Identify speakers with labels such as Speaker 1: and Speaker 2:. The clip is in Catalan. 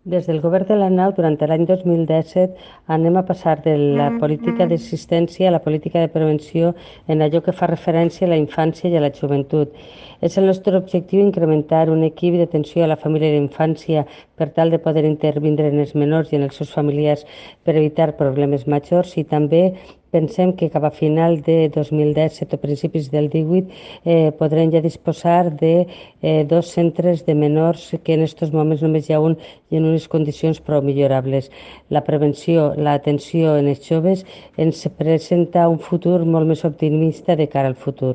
Speaker 1: Des del Govern de la Nau, durant l'any 2017, anem a passar de la política d'assistència a la política de prevenció en allò que fa referència a la infància i a la joventut. És el nostre objectiu incrementar un equip d'atenció a la família i la infància per tal de poder intervindre en els menors i en els seus familiars per evitar problemes majors, i també pensem que cap a final de 2017 o principis del 18 podrem ja disposar de dos centres de menors, que en aquests moments només hi ha un i en unes condicions prou millorables. La prevenció, l'atenció en els joves ens presenta un futur molt més optimista de cara al futur.